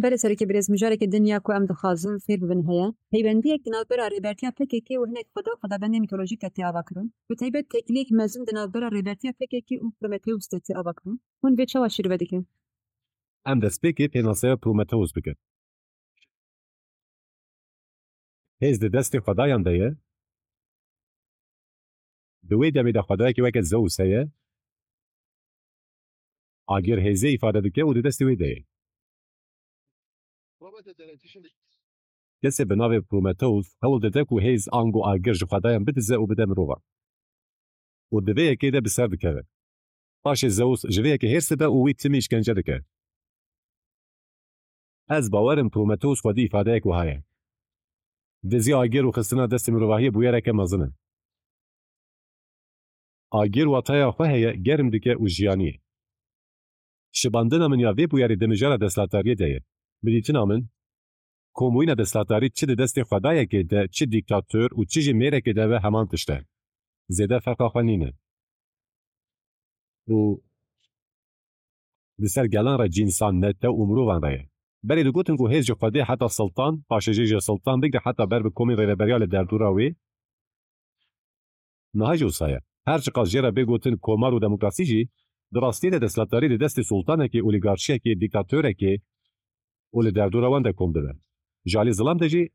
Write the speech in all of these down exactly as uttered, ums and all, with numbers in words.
Belê serokê birêz, mijareke din ya ku em dixwazin fêr bibin heye. Peywendiyek di navbera rêbertiya P K K û hinek xweda xwedabendên mîtolojîk de tê avakirin. Bi taybet têkiliyek mezin di navbera rêbertiya P K K û Prometheus de tê avakirin. Hûn vê çawa şîrove dikin? Em destpêkê pênaseya Prometheus bikin. Hêz di destê xwedayan de ye. Di wê demê de xwedayekî weke Zeus heye. Agir hêzê îfade dike û di destê wê de ye. Kesê bi navê Prometheus hewl dide ku hêz ango agir ji xwedayan bidize û bide mirovan. Û di vê yekê de bi ser dikeve. Paşê Zeus ji vê yekê hêrs dibe û wî timî îşkence dike. Ez bawer im Prometheus xwedî îfadeyek wiha ye. Dizî agir û xistina destê mirovahiyê bûyereke mezin e. Agir wataya xwe heye, germ dike û jiyanî ye. Şibandina min ya vê bûyerê di mijara desthilatdariyê de ye. Bi dîtina min, komûyîna desthilatdarî çi di destê xwedayekê de, çi dîktator û çi jî mêrekê de be heman tişt e. Zêde ferqa xwe nîne. Û di ser gelan re cînsan, netew û mirovan re ye. Berê digotin ku hêz ji xwedê heta siltan, paşê jî ji siltan bigre heta ber bi komên rêveberiya li derdora wê. Niha jî wisa ye. Her çiqas jê re bê gotin komar û demokrasî jî, di rastiyê de desthilatdarî di destê sultanekê, olîgarşiyekê, dîktatorekê û li derdora wan de kom dibe. Ji alî zilam de jî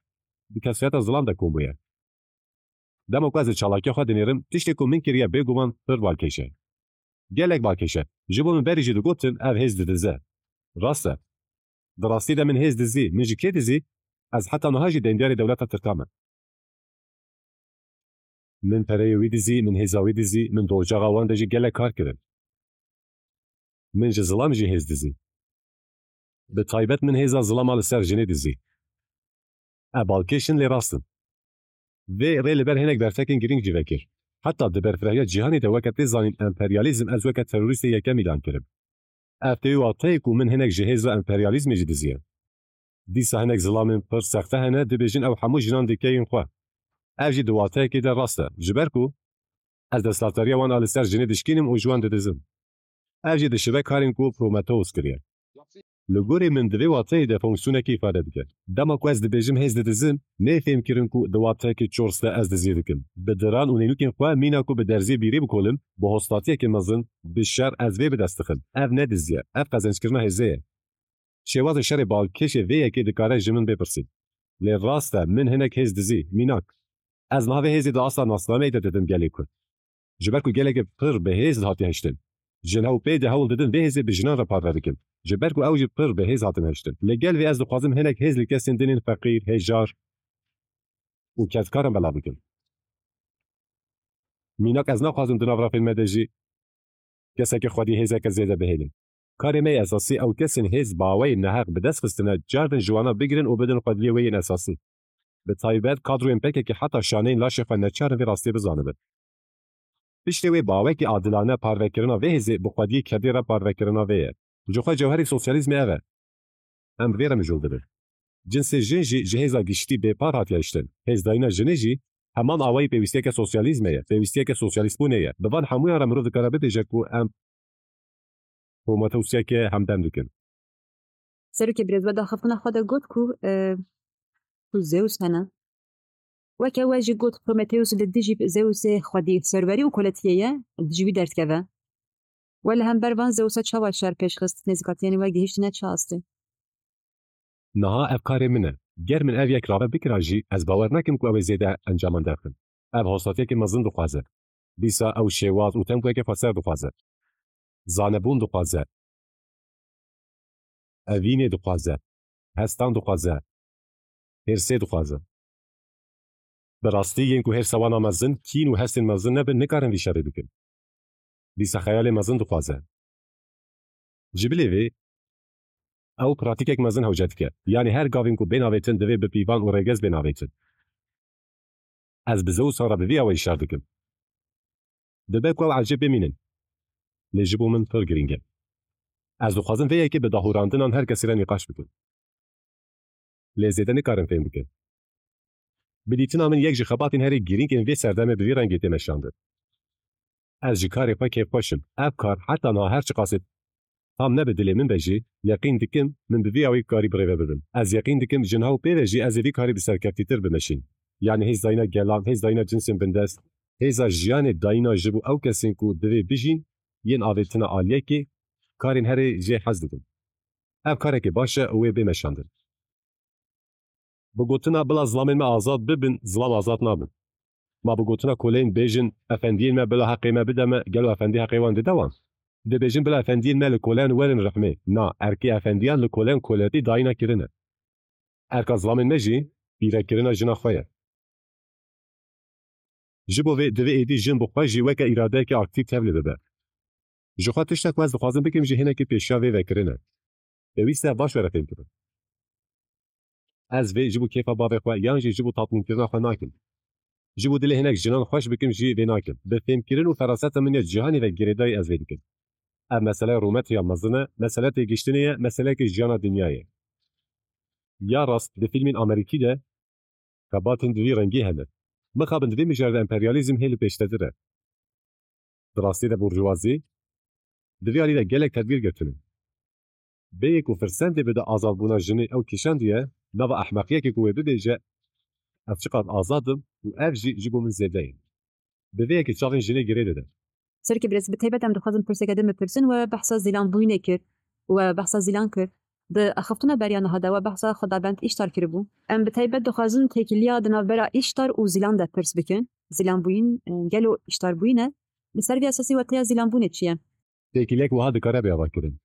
di kesayeta zilam de kom bûye. Dema ku ez li çalakiya xwe dinêrim, tiştê ku min kiriye bêguman pir balkêş e. Gelek balkêş e. Ji bo min berî jî digotin ev hêz didize. Rast e. Di rastî de min hêz dizî, min ji kê dizî? Ez heta niha jî dendiyarê dewleta Tirka me. Min pereyê wî dizî, min hêza wî dizî, min di ocaxa wan de jî gelek kar kirin. Min ji zilam jî hêz dizî. Bi taybet min hêza zilama li ser jinê dizî. Ev balkêş in lê rast in. Vê rê li ber hinek berfekên girîng jî vekir. Heta di berfirahiya cîhanê de weke tê zanîn emperyalîzm ez weke terorîstê yekem îlan kirim. Ev tê wê wateyê ku min hinek ji hêza emperyalîzmê jî diziye. Dîsa hinek zilamên pir sexte hene, dibêjin ew hemû jinan dike yên xwe. Ev jî di wateyekê de rast e. Ji ber ku ez desthilatdariya wan a li ser jinê dişkînim û ji wan didizim. Ev jî dişibe karên ku Prometheus kiriye. Li gorî min di vê wateyê de fonksiyonekî îfade dike. Dema ku ez dibêjim hêz didizim, nê fêhm kirin ku di wateyekî çors de ez diziyê dikim. Bi diran û nênûkên xwe mîna ku bi derziyê bîrî bikolim, bi hostatiyekê mezin, bi şer ez vê bi dest dixim. Ev ne dizî ye, ev qezencekirina hêzê ye. Şêwazê şerê balkêşê vê yekê dikare ji min bê pirsî. Lê rast e, min hinek hêz dizî, mînak. Ez niha vê hêzê di asta nasnameyê de didim gelê Kurd. Ji ber ku gelekê pir bi hêz hatiye hiştin. Ji hew pê de hewl didin vê hêzê bi jinan re parve bikin. Ji ber ku ew jî pir bi hêz hatin hiştin. Li gel vê ez dixwazim hinek hêz li kesên din ên feqîr, hêjar û kedkar in belav bikim. Mînak ez naxwazim di nav rafên me de jî keseke xwedî hêzeke zêde bihêlin. Karê me yê esasî ew kesên hêz bi awayên neheq bi dest xistine, cardin ji wana bigirin û bidin xwediyê wê yên esasî. Bi taybet kadroyên P K K heta şaneyên laşê xwe neçar in vê rastiyê bizanibin. Piştê wê bi awayekî adilane parvekirina vê hêzê bi xwediyê kedê re parvekirina vê ye. Ji xwe cewherê sosyalîzmê ev e. Em bi vê re mijûl dibin. Cinsê jin jî ji hêza giştî bêpar hatiye hiştin. Hêzdayîna jinê jî heman awayî pêwîstiyeke sosyalîzmê ye, pêwîstiyeke sosyalîstbûnê ye. Bi van hemûyan re mirov dikare bibêje ku em Prometheusiyeke hemdem dikin. Serokê birêz, we daxiftina xwe de got ku, e, ku Zeus hene. Weke we jî got, Prometheus li dijî Zeusê xwedî serwerî û koletiyê ye, dijî wî derdikeve. We li hember van Zeusa çawa şer pêş xist, nêzîkatiyên we gihîştine çi astê? Niha ev karê min e. Ger min ev yek rave bikira jî, ez bawer nakim ku ew ê zêde encaman derxin. Ev hostatiyeke mezin dixwaze. Dîsa ew şêwaz û tempoyeke xweser dixwaze. Zanebûn dixwaze. Evînê dixwaze. Hestan dixwaze. Hêrsê dixwaze. Bi rastî yên ku hêrsa wan a mezin, kîn û hestên mezin nebin, nikarin vî şerê bikin. Dîsa xeyalê mezin dixwaze. Ji bilî vê, ew pratîkek mezin hewce dike. Yanî her gavên ku bên avêtin divê bi pîvan û rêgez bên avêtin. Ez bi Zeusan re bi vî awayî şer dikim. Dibe ku ew ecêb bimînin. Lê ji bo min pir girîng e. Ez dixwazim vê yekê bi dahûrandinan her kesî re nîqaş bikim. Lê zêde nikarim fêm bikim. Bi dîtina min yek ji xebatên herî girîng ên vê serdemê bi vî rengî tê meşandin. Ez ji karê xwe kêfxweş im. Ev kar heta niha her çiqasê tam nebe dilê min be jî, yeqîn dikim min bi vî awî karî birêve bibim. Ez yeqîn dikim ji niha û pê ve jî ez ê vî karî bi serkeftîtir bimeşînim. Yanî hêz dayîna gelan, hêz dayîna cinsên bindest, hêza jiyanê dayîna ji bo ew kesên ku divê bijîn, yên avêtina aliyekê, karên herê jê hez dikim. Ev karekê baş e û wê bê meşandin. Bi gotina bila zilamên me azad bibin, zilam azad nabin. Ma bi gotina koleyên bêjin, efendiyên me bila heqê me bide me, gelo efendî heqê wan dide wan? Dibêjin bila efendiyên me li koleyan werin rihmê. Na, erkê efendiyan li koleyan koletî dayîna kirine. Erka zilamên me jî pîrekirina jina xwe ye. Ji bo vê divê êdî jin bi xwe jî weke îradeyeke aktîf tevlî bibe. Ji xwe tiştek ku ez dixwazim bikim jî hinekî pêşiya vê vekirin e. Pêwîst e baş were fêmkirin. Ez vê ji bo kêfa bavê xwe yan jî ji bo tatmînkirina xwe nakim. Ji bo dilê hinek jinan xweş bikim jî vê nakim. Bi fêmkirin û feraseta min ya cîhanê ve girêdayî ez vê dikim. Ev meseleya rûmetiya mezin e, mesele têgihiştinê ye, meseleyeke jiyana dinyayê ye. Ya rast, di fîlmên Amerîkî de xebatên di vî rengî hene. Mixabin di vê mijarê de emperyalîzm hê li pêştedir e. Di rastî de burjuvazî di vî alî de gelek tedbîr girtine. Bêyê ku firsendê bide azadbûna jinê ew kişandiye, nava ehmeqiyekê ku wê bibêje, "Ev çiqas azad im û ev jî ji bo min zêde ye." Bi vê yekê çavên jinê girê dide. Serokê Birêz, bi taybet em dixwazin pirseke din bipirsin, we behsa zîlanbûyînê kir, we behsa zîlan kir. Di axiftina beriya niha de we behsa Xwedabend Îştar kiribû. Em bi taybet dixwazin têkiliya di navbera Îştar û zîlan de pirs bikin. Zîlanbûyîn, e, gelo îştarbûyîn e? Li ser vî esasî wateya zîlanbûnê çi ye? Têkiliyek wiha dikare bê avakirin.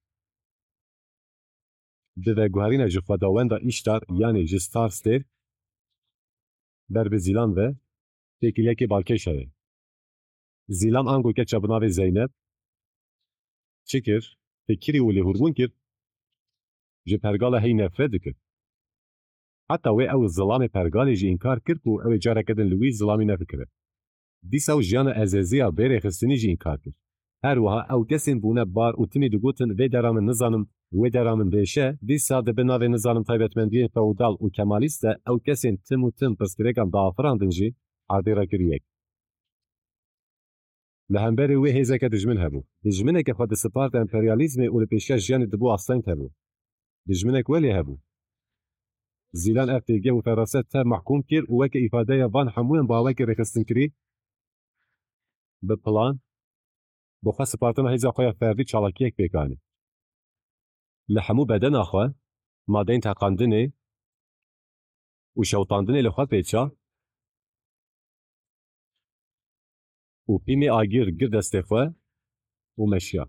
Di veguherîna ji xwedawenda Îştar, yanî ji Star Stêr, ber bi Zîlan ve têkiliyekê balkêş heye. Zîlan ango keça bi navê Zeynep çi kir? Fikirî û lêhûrbûn kir, ji pergala hey nefret dikir. Heta wê ew zilamê pergalê jî înkar kir ku ew ê careke din li wî zilamî nefikire. Dîsa ew jiyana ezêziya bê rêxistinî jî înkar kir. Her wiha ew kesên bûne bar û timî digotin, "Vê dera min nizanim, wê dera min bêş e." Dîsa di bin navê nizanim taybetmendiyên feodal û kemalîst de ew kesên tim û tim pirsgirêkan diafirandin jî erdê re kir yek. Li hemberî wê hêzeke dijmin hebû. Dijmineke xwe disiparte emperyalîzmê û li pêşiya jiyanê dibû asteng hebû. Dijminek welê hebû. Zîlan ev têgeh û feraset tev mehkûm kir û weke îfadeya van hemûyan bi awekî rêxistinkirî, bi plan, bi xwe sipartina hêza xwe ya ferdî çalakiyek pêk anî. Li hemû bedena xwe madeyên teqandinê û şewitandinê li xwe pêça û pîmê agir girt destê xwe û meşiya.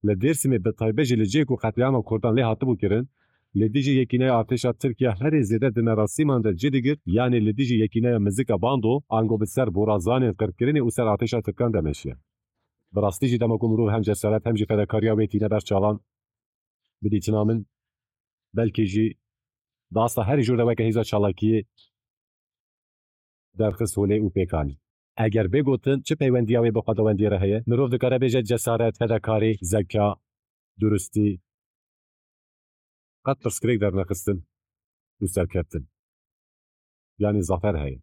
Li Dêrsimê bi taybet jî li cihê ku qetlîama Kurdan lê hatibû kirin, li dijî yekîneya artêşa Tirkiye herê zêde di merasîman de cih digirt, yanî li dijî yekîneya Mizika Bando, ango bi ser borazanên qirkirinê û ser artêşa Tirkan de meşiye. Bi rastî jî dema ku mirov hem cesaret hem jî fedakariya wê tîne ber çavan, bi dîtina min, belkî jî di asta herî jor de weke hêza çalakiyê derxist holê û pêk anî. Eger bê gotin, çi peywendiya wê bi xwedawendiyê re heye? Mirov dikare bêje cesaret, fedakarî, zeka, durustî, qet pirsgirêk dernexistin û serkeftin, yanî zafer heye.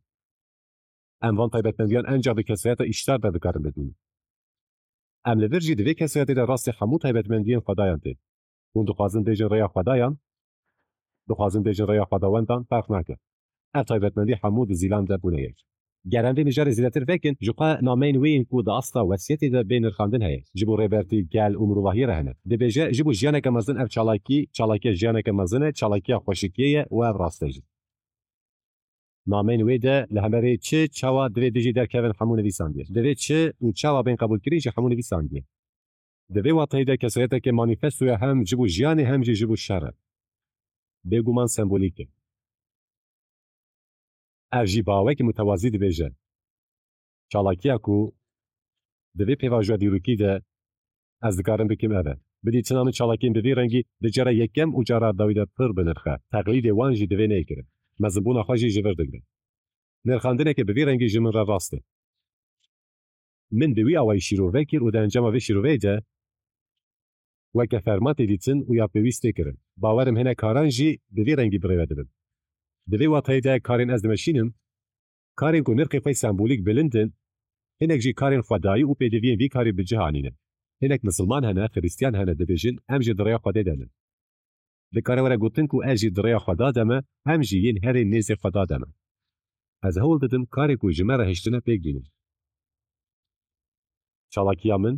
Em van taybetmendiyan encax di kesayeta Îştar de dikarin bibînin. Em li vir jî di vê kesayetê de rastî hemû taybetmendiyên xwedayan tên. Hûn dixwazin bêjin rêya xwedayan, dixwazin bêjin rêya xwedawendan, ferq nake. Ev taybetmendî hemû di Zîlan de bûne yek. Ger em vê mijarê zêdetir vekin, ji xwe nameyên wê yên ku di asta wesiyetê de bê nirxandin heye. Ji bo rêbertî, gel û mirovahiyê re hene. Dibêje, ji bo jiyaneke mezin ev çalakî, çalakiya jiyaneke mezin e, çalakiya xweşikiyê ye û ev rast e jî. Nameyên wê de li hemerê çi, çawa, divê, dijî, derkevin hemû nivîsandiye. Divê çi û çawa bên qebûlkirin jî hemû nivîsandiye. Di vê wateyê de kesayeteke manîfestoya hem ji bo jiyanê hem jî ji bo şer e. Bêguman sembolîk e. Ev jî bi awekî mutewazî dibêje, çalakiya ku di vê pêvajoya dîrokî de ez dikarim bikim ev e. Bi dîtina min çalakiyên bi vî rengî di cara yekem û cara dawî de pir bi nirx e. Teqlîdê wan jî divê neyê kirin. Mezinbûna xwe jî ji vir digrin. Nirxandineke bi vî rengî ji min re rast e. Min bi wî awayî şîrove kir û di encama vê şîroveyê de weke ferma tê dîtin û ya pêwîst tê kirin. Bawer im hinek karan jî bi vî rengî birêve dibin. Di vê wateyê de karên ez dimeşînim, karên ku nirxê xwe sembolîk bilind in, Hinek jî karên xwedayî û pêdiviyên vî karî bi cih anîne. Hinek misilman hene, xirîstiyan hene, dibêjin, em jî di rêya Xwedê de ne. Dikare were gotin ku ez jî di rêya Xweda de me, em jî yên herê nêzê Xweda de me. Ez hewl didim karê ku ji me re hiştine pêk bînim. Çalakiya min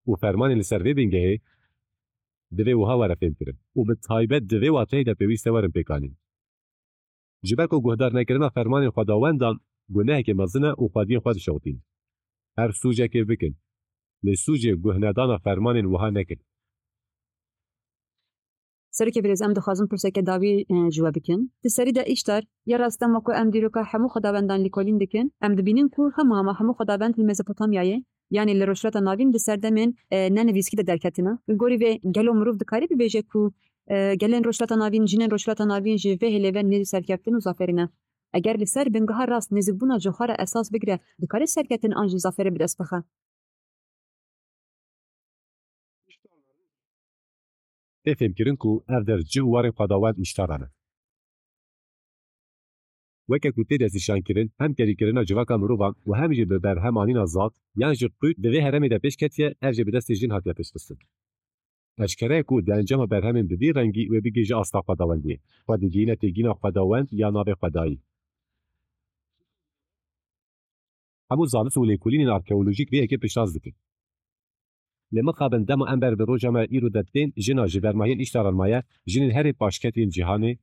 û fermanên li ser vê bingehê divê wiha were fêmkirin û bi taybet di vê wateyê de pêwîst e werin pêkanîn. Ji ber ku guhdarnekirina fermanên xwedawendan gunehekê mezin e û xwediyên xwe dişewitîn. Her sûcekê bikin, lê sûcê guhnedana fermanên wiha nekin. Serokê birêz, em dixwazin pirseke dawî, e, ji we bikin. Di serî de Îştar, ya rast dema ku em dîroka hemû xwedawendan lêkolîn dikin, em dibînin ku hema hema hemû xwedawend li Mezopotamyayê, yanî li Rojhilata Navîn di serdemên, e, nenivîskî de derketine. Li gorî vê gelo mirov dikare bibêje ku, e, gelên Rojhilata Navîn, jinên Rojhilata Navîn ji vê hêlê ve nêzî serkeftin û zaferî ne? Eger li ser bingeha rast nêzîkbûna ji xwe re esas bigire, dikare serkeftin an jî zaferê bi dest bixe? Tê fêmkirin ku ev der cih û warên xwedawend Îştara ne. Weke ku tê destnîşankirin, hem kerîkirina civaka mirovan û hem jî bi berhem anîna zad yan jî qût di vê herêmê de pêş ketiye, ev jî bi destê jin hatiye pêşxistin. Eşkere ye ku di encama berhemên bi vî rengî wê bigihîje asta xwedawendiyê, xwe digihîne têgihîna xwedawend ya navê xwedayî. Hemû zanist û lêkolînên arkeolojîk vê yekê piştrast dikin. Lê mixabin dema em ber bi roja me îro de tên, jina ji bermahiyên Îştaran maye, jinên herê paşketiyên cîhanê,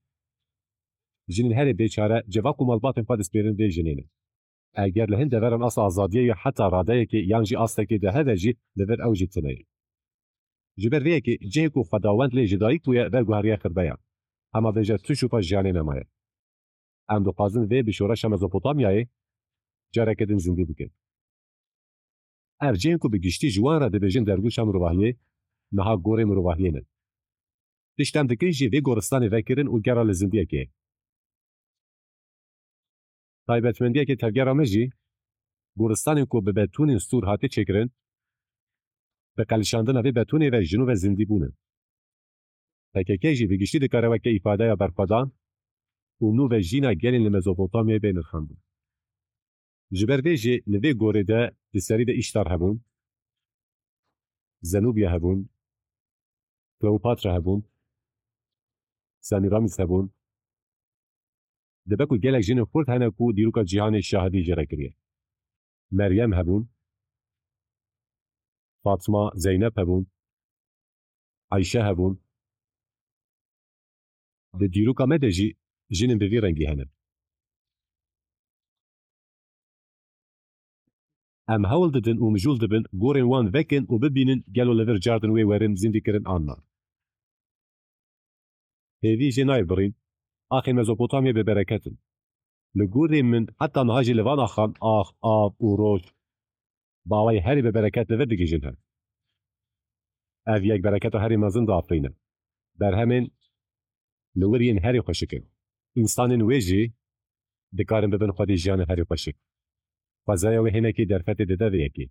jinên herê bêçare, civak û malbatên xwe dispêrin vê jinê ne. Eger li hin deveran asta azadiyê ya heta radeyekê yan jî astekê de hebe jî, li vir ew jî tune ye. Ji ber vê yekê cihê ku xwedawend lê ji dayik bûye, veguheriye xirbeyan. Hema bêje tu şopa jiyanê nemaye. Em dixwazin vê bi şoreşa Mezopotamyayê careke din zindî bikin. Ev cihên ku bi giştî ji wan re dibêjin dergûşa mirovahiyê, niha gorê mirovahiyê ne. Tişt em dikin jî vê goristanê vekirin û gera li zindiyekê ye. Taybetmendiyeke tevgera me jî, goristanên ku bi betûnên stûr hate çêkirin, bi qelişandina vê betûnê ve ji nû ve zindî bûne. P K K jî bi giştî dikare weke îfadeya berxwedan û nû ve jîna gelên li Mezopotamyayê bê nirxandin. Ji ber vê jî li vê gorê de di serî de Îştar hebûn, Zenûbya hebûn, Kleopatra hebûn, Semîramîs hebûn. Dibe ku gelek jinên xurt hene ku dîroka cîhanê şahidî jê re kiriye. Meryem hebûn, Fatma, Zeynep hebûn, Eyşe hebûn. Di dîroka me de jî jinên bi vî rengî hene. Em hewl didin û mijûl dibin gorên wan vekin û bibînin gelo li vir cardin wê werin zindîkirin an na. Hêvî jê nayê birîn, axê Mezopotamyê bi bereket in. Li gorî min heta niha jî li van axan ax, av û roj bi awayî herî bi bereket li vir digihîjin hev. Ev yek bereketa herî mezin diafirîne. Berhemên li wir yên herî xweşik in. Însanên wê jî dikarin bibin xwedî jiyanê herî xweşik. Xwezaya wê hinekî derfetê dide vê yekê.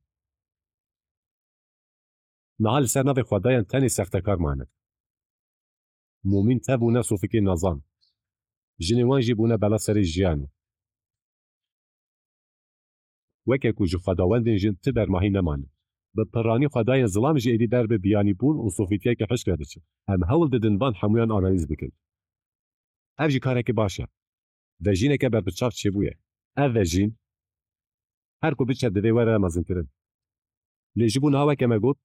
Niha li ser navê xwedayan tenê sextekar mane. Mûmîn tev û ne sofikê nezan. Jinên wan jî bûne bela serê jiyanê. Weke ku ji xwedawendên jin ti bermahî nemane. Bi piranî xwedayên zilam jî êdî ber bi biyanîbûn û sofîtiyeke hişk re diçin. Em hewl didin van hemûyan analîz bikin. Ev jî kareke baş e. Vejîneke berbiçav çêbûye. Ev vejîn, her ku biçe divê were mezinkirin. Lê ji bo niha weke me got,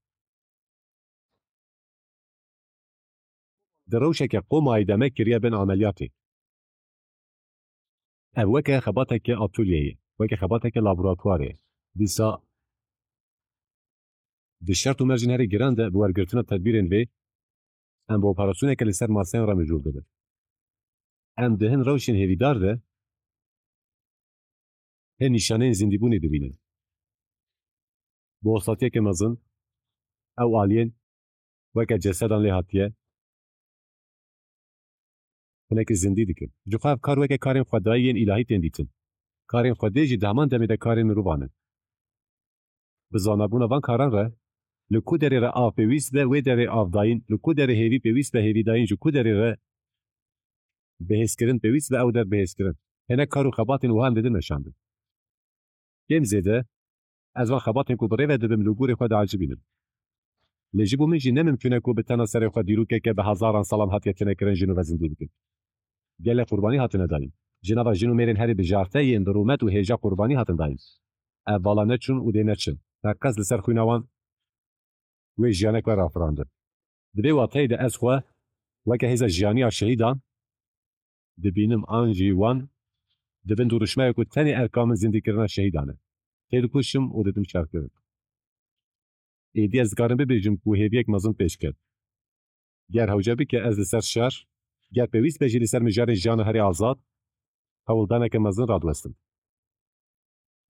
di rewşeke qomayî de me kiriye bin ameliyatê. Ev weke xebateke atolyeyê, weke xebateke laboratuwarê. Dîsa di şert û mercên herî giran de bi wergirtina tedbîrên vê, em bi operasyoneke li ser maseyan re mijûl dibin. Em di hin rewşên hêvîdar de hin nîşaneyên zindîbûnê dibînin. Bi osatiyeke mezin, ew aliyên weke cesedan lê hatiye, hinekî zindî dikin. Ji xwe ev kar weke karên xwedayî yên îlahî tên dîtin. Karên Xwedê jî di heman demê de karên mirovan in. Bi zanabûna van karan re, li ku derê re av pêwîst be, wê derê avdayîn, li ku derê hêvî pêwîst be, hêvîdayîn ji ku derê re bihêzkirin pêwîst be, ew der bihêzkirin. Hinek kar û xebatên wiha em didin meşandin. Kêm zêde, Ez van xebatên ku bi rê ve dibim li gorî xwe diecibînim. Lê ji bo min jî ne mimkûn e ku bi tena serê xwe dîrokeke bi hezaran salan hatiye tênekirin jin û ve zindî bikin. Gelek qurbanî hatine dayîn. Ji nava jin û mêrên herî bijarte yên bi rûmet û hêja qurbanî hatin dayîn. Ev vala neçûn û dê neçin. Teqez li ser xwîna wan wê jiyanek we rafirandin. Di vê wateyê de ez xwe weke hêza jiyaniya şehîdan dibînim an jî wan di bin dirûşmeyê ku tenê erka min zindîkirina şehîdan e. Têdikuşim û didim şerkirin. Êdî ez dikarim bibêjim ku hêviyek mezin pêş ket. Ger hewce bike ez li ser şer, ger pêwîst be jî li ser mijarên jiyana herî azad, hewldaneke mezin radiwestim.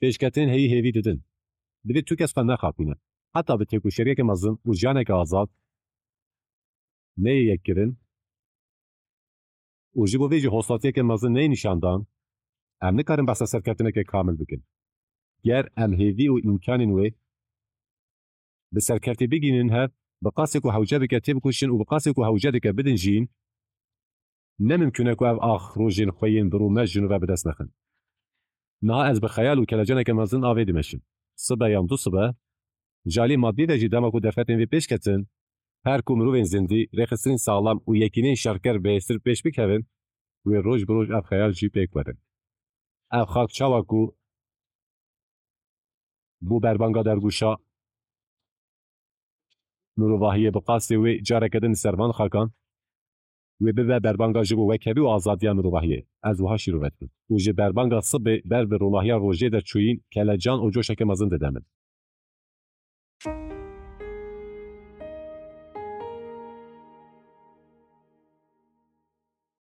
Pêşketin heyî hêvî didin. Divê tu kes xwe nexapîne. Heta bi têkoşeriyeke mezin û jiyaneke azad neyê yekkirin û ji bo vê jî hosatiyeke mezin neyê nîşandan, em nikarin behsa serkeftineke kamil bikin. Ger em hêvî û îmkanên wê bi serkeftî bigihînin hev, bi qasê ku hewce bike têbikoşin û bi qasê ku hewce dike bidin jîn, ne mimkûn e ku ev ax rojên xwe yên bi rûmet ji nû ve bi dest nexin. Niha ez bi xeyal û kelecaneke mezin a vê dimeşim. Sibe yan du sibe, ji alî madî ve jî dema ku derfetên vê pêş ketin, her ku mirovên zindî, rêxistinên saxlem û yekîneyên şerker bi hêstir pêş bikevin, wê roj bi roj ev xeyal jî pêk werin. Ev xak çawa ku bû berbanga dergûşa mirovahiyê, bi qasê wê careke din li ser van xakan wê bibe berbanga ji bo wekhevî û azadiya mirovahiyê. Ez wiha şîrove dikim. Û ji berbanga sibê ber bi ronahiya rojê de çûyîn kelecan û coşeke mezin dide min.